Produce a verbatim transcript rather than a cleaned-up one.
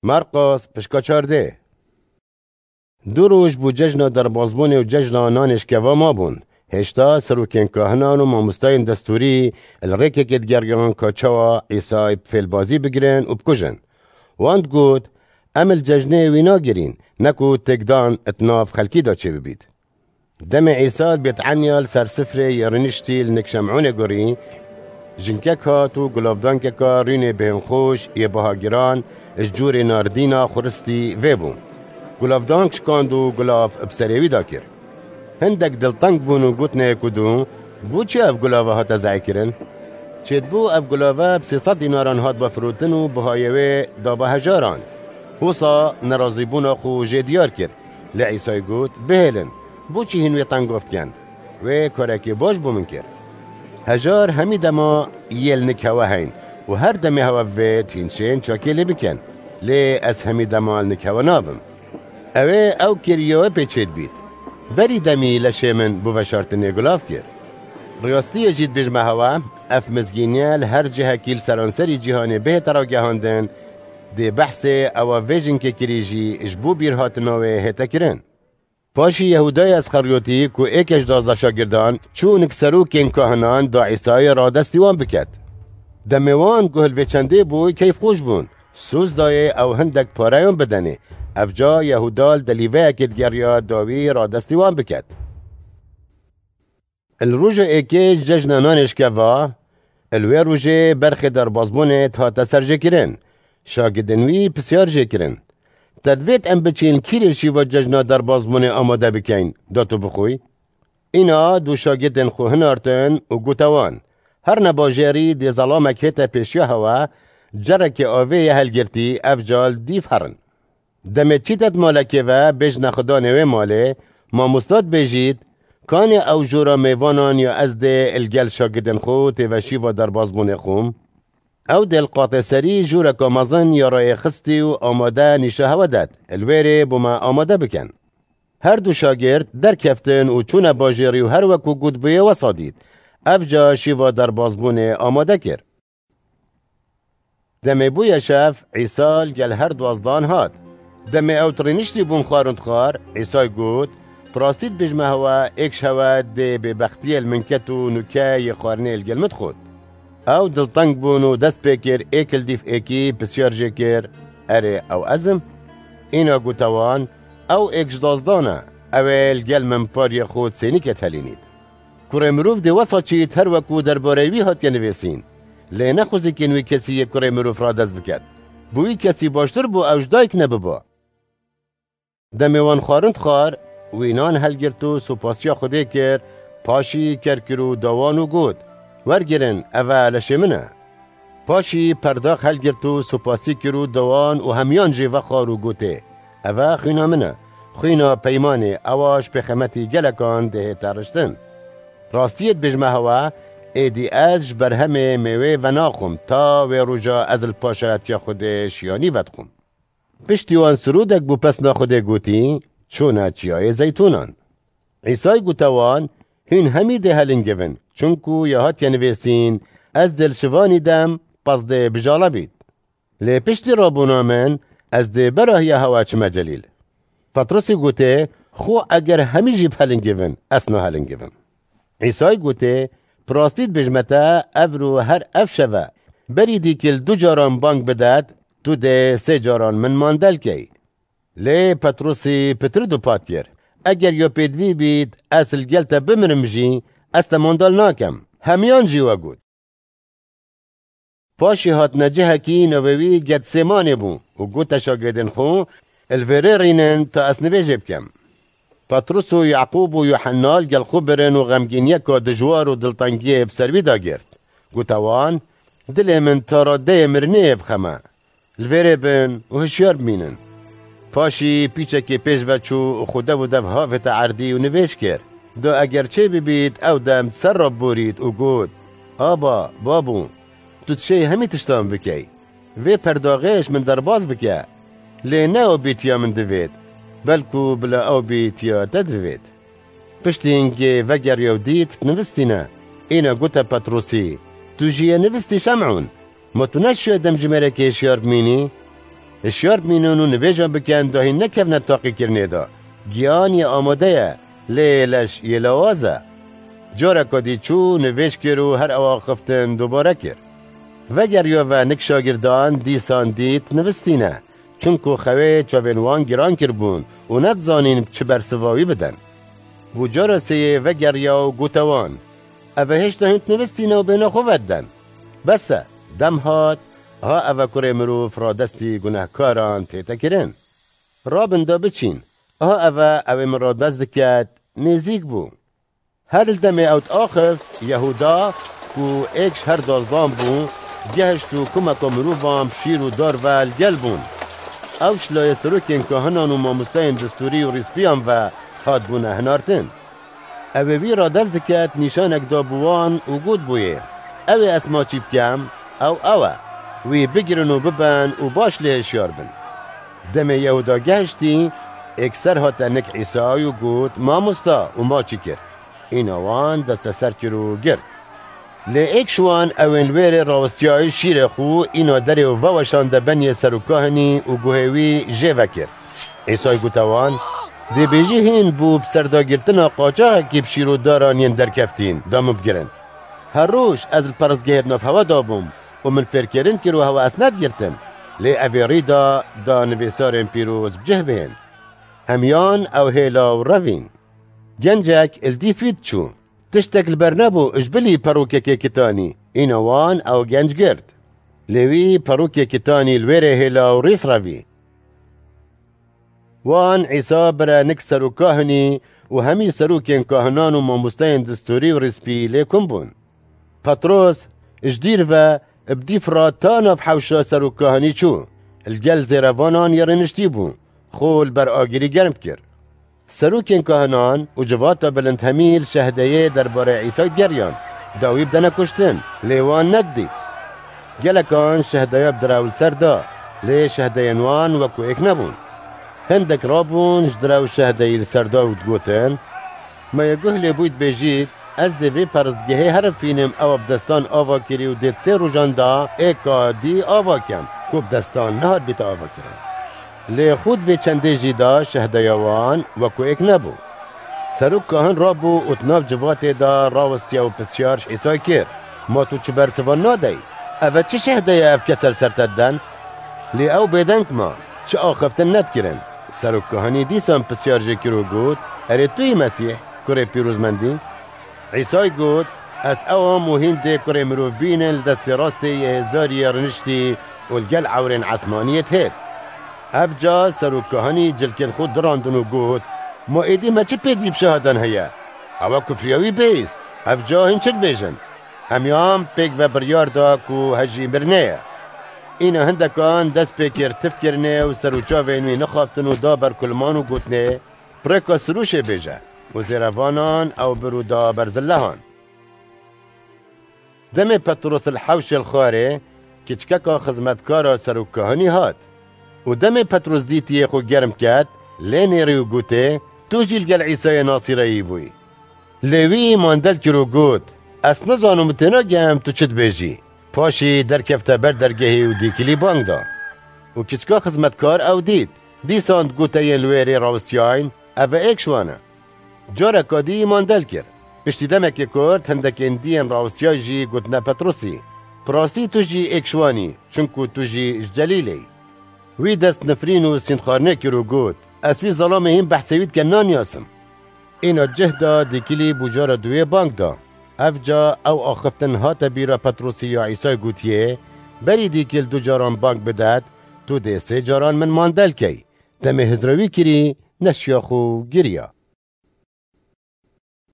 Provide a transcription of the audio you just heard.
Marqos, pişka çardeh. Du roj bû cejna derbazbûnê û cejna nanê şkeva mabûn. Hêşta serokên kahinan û mamostayên destûrî li rêkekê digeriyan ka çawa Îsay bi fêlbazî bigirin û bikujin. Wan digot, "Em li cejnê wî nagirîn, ne ku têkdan di nav xelkî de çêbibît." Demê Îsa li Bêtenya li ser sifrê yê rûniştî li nik Şemûnê gurî, jinkek hat û gulavdankeka rûnê bêhnxweş yê biha giran ji cûrê nardîna xuristî vê bû. Gulavdank şikand û gulav bi serê wî de kir. Hindek dilteng bûn û gotine yek û du, "Bo çi ev gulava hate zehîkirin? Çêdibû ev gulava bi sê sed dînaran hat vefirotin û bihayê wê daba hejaran." Wisa nerazîbûna xwe jê diyar kir. Lê Îsay got, "Bihêlin, bo çi hîn wê tengov dikin? Wê karekê baş bo min kir. Hejar hemî dema yê li nik hewe heyn û her demê hewe bivêt hîn şên çakê lê bikin. Lê ez hemî dema li nik hewe nabim." Ew ê ew kiriya wê pê çêdibît. Berî demî leşê min bo veşartinê gulav kir. Rastiyê jî dibêjime hewe, ev mizgîniye li her cihekî li seranserî cîhanê bihête ragihandin, dê behsê ewa vê jinkê kirî jî ji bo bîrhatina wê hête kirin. Paşî Yehûdaya Isxeryotî ku êke ji duwazdeh şagirdan çû nik serokên kahinan da Îsayê radestî wan biket. Demê wan guh li vê çendê bû keyfxweş bûn. Soz dayê ew hindek pareyan bidenê. Evca Yehûda li delîveyekê digeriya da wî radestî wan biket. Li roja êkê cejna nanê şkeva, li wê rojê berxê derbazbûnê dihate serjêkirin. Şagirdên wî pisyar jê kirin, "Te divêt em biçin kîrê şîva cejna derbazbûnê amade bikeyn, da tu bixwî?" Îna du şagirdên xwe hinartin û gote wan, "Her ne bajêrî dê zelamek hête pêşiya hewe, cerekê avê ye helgirtî, ev cal dîv herin. Demê çîtet malekê ve bêjne xudanê wê malê, mamosta dibêjît, kanê ew jora mêvanan ya ez dê li gel şagirdên xwe têve şîva derbazbûnê xwe?" Ew dê li qatê serî joreka mezin ya rayê xistî û amade nîşa hewe det, "Li wêrê bo me amade bikin." Her du şagird derkeftin û çûne bajêrî û her wek ku gotbûye wesa dît. Evca şîva derbazbûnê amade kir. Demê bûye şev, Îsa li gel her duwazdan hat. Demê ew rêniştî bûn xwar û dixwar, Îsay got, "Bi rastî dibêjime hewe, êk ji hewe dê bêbextiyê li min ket û nûke yê xwarinê li gel min dixwit." Ew dilteng bûn û dest pê kir, êk li dîf êkî pisyar jê kir, "Erê, ew ez im?" Îna gote wan, "Ew êk ji duwazdan e, ew ê li gel min pariyê xwe di sênîkê de helînît." Kurê mirov dê wesa çît her wekû derbareyê wî hatiye nivîsîn. Lê ne xwezikên wî kesî yê kurê mirov radest biket. Bo wî kesî baştir bû ew ji dayik nebiba. Demê wan xwarin dixwar, wî nan helgirt û supasiya Xwedê kir, paşî ker kir û da wan û got, "Wergirin, ev e leşê min e." Paşî perdax helgirt û supasî kir û da wan û hemiyan jê vexwar û gotê, "Ev e xwîna min e, xwîna peymanê, ewa ji pêxemetî gelekan dê hête riştin. Rastiyê dibêjime hewe, êdî ez ji berhemê mêwê venaxwim, ta wê roja ez li paşayetiya Xwedê şiyanî vedixwim." Piştî wan sirûdek bo pesna Xwedê gotî, çûne Çiyayê Zeytûnan. Îsay gote wan, "Hûn hemî dê helingivin, çunku ya hatiye nivîsîn, ez dê li şivanî dem, pez dê bijale bît. Lê piştî rabûna min, ez dê berahiya hewe çime Celîl." Petrusî gotê, "Xwe eger hemî jî bihelingivin, ez nahelingivim." Îsay gotê, "Bi rastî dibêjime te, evro her ev şeve, berî dîkil du caran bang bidet, tu dê sê caran min mandel key." Lê Petrusî pitir dupat kir, "Eger ya pêdivî bît, ez li gel te bimirim jî, ez te mandal nakem." Hemiyan jî we got. Paşî hatine cihekî navê wî Getsêmanê bû û gote şagirdên xwe, "Li vêrê rînin ta ez nivêjê bikim." Petrus û Yaqûb û Yuhenna li gel xwe birin û xemgîniyeka dijwar û diltengiyê bi ser wî de girt. Gote wan, "Dilê min ta radeyê mirinê ye bi xem e. Li vêrê bin û hişyar bimînin." Paşî pîçekê pêş ve çû û xwe dev û dev havête erdî û nivêj kir, "Da eger çê bibît, ew dem di ser re biborît û got, 'Aba, Babo, tu dişêy hemî tiştan bikey. Vê perdaxê ji min derbas bike. Lê ne ew bîtiya min divêt, belkû bila ew bîtiya te divêt.'" Piştî hingê vegeriya û dît, nivistîne. Îna gote Petrusî, "Tu jî yê nivistî Şem'ûn? Ma tu neşiya dem ji mêrekê hişyar bimînî?" Hişyar bimînin û nivêja bikin, da hîn nekevne taqîkirinê de. Giyan yê amade ye, lê leş yê lawaz e. Careka dî çû, nivêj kir û her ew axiftin dubare kir. Vegeriya ve nik şagirdan dîsan dît nivistîne, çunku xewê çavên wan giran kiribûn û nedizanîn çi bersiva wî bidin. Bû cara sêyê vegeriya û gote wan, Ev e hêşta hûn dinivistîne û bêhna xwe vediden. Bes e, dem hat, ha ev e kurê mirov radestî gunehkaran tête kirin. Rabin da biçîn, ha ev e ew ê min radest diket, nêzîk bû. Her li demê ew diaxift, Yehuda, ku êk ji her dozdan bû, gehişt û kumeka mirovan bi şîr û dar ve li gel bûn. Ew ji layê serokên kahinan û mamosteyên distûrî û rîspiyan ve hatbûne hinartin. Ew ê wî radest diket, nîşanek da bi wan û got bûyê, Ew ê ez maçî bikem, ew ew e. Wî bigirin û bibin û baş lê hişyar bin. Demê Yehuda gehiştî, êkser hate nik Îsay û got, Mamosta, û maçî kir. Îna wan desteser kir û girt. Lê êk ji wan ewên li wêrê rawestiyayî şîrê xwe, îna derê û veweşande beniyê serokkahinî û guhê wî jê vekir. Îsay gote wan, Dê bêjî hîn bû bi serdagirtina qaçaxekî bi şîr û daran yên derkeftîn, da min bigirin. Her roj ez li peristgehê di nav hewe de bûm û min fêrkirin kir û hewe ez nedigirtin. Lê ev ê rî da, da nivîsarên pîroz bi cih bihên. Hemiyan ew hêla û revîn. Gencek li dîf wî diçû. Tiştek li ber nebû, ji bilî perokekê kitanî. Îna wan ew genc girt. Lê wî perokê kitanî li wêrê hêla û rîs revî. Wan Îsa bire nik serokkahinî û hemî serokên kahinan û mamosteyên distûrî û rîspî lê kom bûn. Petros ji dîr ve bi dîf re ta nav hewşa serokkahinî çû. Li gel zêrevanan yê rêniştî bû. Xwe li ber agirî germ dikir. Serokên kahinan û civata bilind hemî li şehdeyê derbarê Îsay digeriyan, da wî bidene kuştin, lê wan nedidît. Gelekan şehdeya bi direw li ser da, lê şehdeyên wan wekû êk nebûn. Hindek rabûn ji direw şehdeyî li ser da û digotin, Ma yê guh lê bûyî dibêjît, Ez dê vê peristgehê herim fînim ewa bi destan ava kirî û dê di sê rojan da êka dî ava kem, ku bi destan nehatbîte avakirin. Lê xwe di vê çendê jî de şehdeya wan wekû êk nebû. Serok kahin rabû û di nav civatê de rawestiya û pisyar ji Îsay kir, Ma tu çi bersivan nadeyî? Ev e çi şehde ye ev kese li ser te diden? Lê ew bêdeng ma, çi axiftin nedikirin. Serok kahinî dîsan pisyar jê kir û got, Erê tu yî Mesîh, kurê pîrozmendî? Îsay got, Ez ew im û hîn dê kurê mirov bînin li destê rastê yê hêzdarî yê riniştî û li gel ewrên esmanî yê dihêt. Ev ca serokkahinî cilkên xwe dirandin û got, Ma êdî me çi pêdî bi şahidan heye? Ew e kufriya wî bihîst. Ev ca hîn çi dibêjin? Hemiyan pêk ve biryar da ku hejî mirinê ye. Îna hindekan dest pê kir tifkirinê û ser û çavên wî nixaftin û da ber kulman û gotinê, Bi rêka sirûşê bêje. Û zêrevanan ew bir û da ber zilehan. Demê Petros li hewşê li xwarê, kiçkeka xizmetkara serokkahinî hat. Û demê Petros dîtiyê xwe germ ket, lê nêrî û gotê, Tu jî li gel Îsayê Nasîreyî bûyî. Lê wî mandel kir û got, Ez nizanim û tênagihim tu çi dibêjî. Paşî derkefte ber dergehê û dîkilî bang da. Û kiçka xizmetkar ew dît. Dîsan digote yên li wêrê rawestiyayîn, Ev e êk ji wan e. Careka dî mandel kir. Piştî demekê kurt hindekên dî yên rawestiyayî jî gotine Petrosî, Bi rastî tu jî êk ji wan î, çunku tu jî ji Celîlê yî. Wî dest nifrîn û sîndxwarinê kir û got, Ez wî zelamê hîn behsê wî dike naniyasim. Îna cih da dîkilî bû cara duyê bang da. Ev ca ew axiftin hate bîra Petrosî ya Îsay gotiye, Berî dîkil du caran bang bidet, tu dê sê caran min mandel key. Demê hizra wî kirî, neşiya xwe û giriya.